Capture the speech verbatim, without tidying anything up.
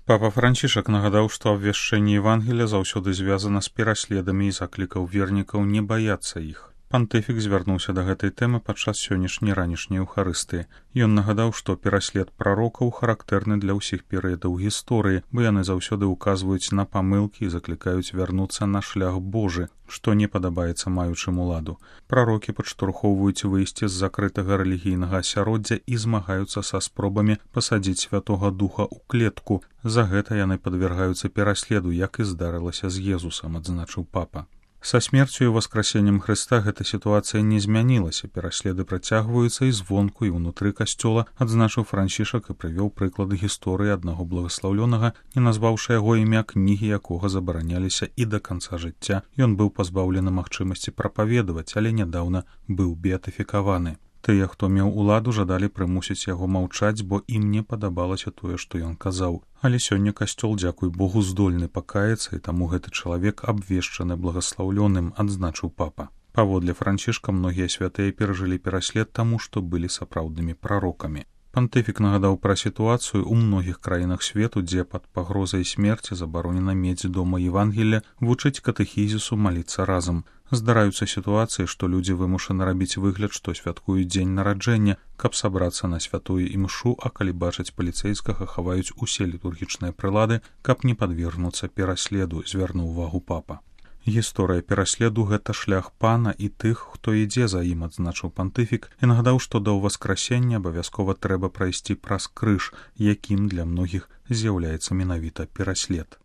Папа Францішак нагадаў, што абвяшчэнне Евангелія заўсёды звязана з пераследамі і заклікаў вернікаў не баяцца іх. Пантыфік звярнуўся да гэтай тэмы падчас сённяшняй ранішняй Еўхарыстыі. Ён нагадаў, што пераслед прарокаў характэрны для ўсіх перыядаў гісторыі, бо яны заўсёды ўказваюць на памылкі і заклікаюць вярнуцца на шлях Божы, што не падабаецца маючым уладу. Прарокі падштурхоўваюць выйсці з закрытага рэлігійнага асяроддзя і змагаюцца са спробамі пасадзіць Святога Духа ў клетку. За гэта яны падвяргаюцца пераследу, як і здарылася з Езусам, адзначыў папа. Са смерцю і васкрасеннем Хрыста гэта сітуацыя не змянілася, пераследы працягваюцца і звонку, і ўнутры касцёла, адзначыў Францішак і прывёў прыклады гісторыі аднаго благаслаўлёнага, не назваўшы яго імя, кнігі якога забараняліся і да канца жыцця. Ён быў пазбаўлены магчымасці прапаведаваць, але нядаўна быў беатыфікаваны. Тыя, хто меў уладу, жадалі прымусіць яго маўчаць, бо ім не падабалася тое, што ён казаў. Але сёння касцёл, дзякуй Богу, здольны пакаяцца, і таму гэты чалавек абвешчаны благаслаўлёным, адзначыў папа. Паводле Францішка, многія святыя перажылі пераслед таму, што былі сапраўднымі прарокамі. Пантыфік нагадаў пра сітуацыю ў многіх краінах свету, дзе пад пагрозай смерці забаронена мець дома Евангелля, вучыць катэхізісу, маліцца разам. Здараюцца сітуацыі, што людзі вымушаны рабіць выгляд, што святкуюць дзень нараджэння, каб сабрацца на святую імшу, а калі бачаць паліцэйскага, хаваюць усе літургічныя прылады, каб не падвергнуцца пераследу, звярнуў увагу папа. Гісторыя пераследу — гэта шлях пана і тых, хто ідзе за ім, адзначыў пантыфік, і нагадаў, што да ўваскрасення абавязкова трэба прайсці праз крыж, якім для многіх з'яўляецца менавіта пераслед.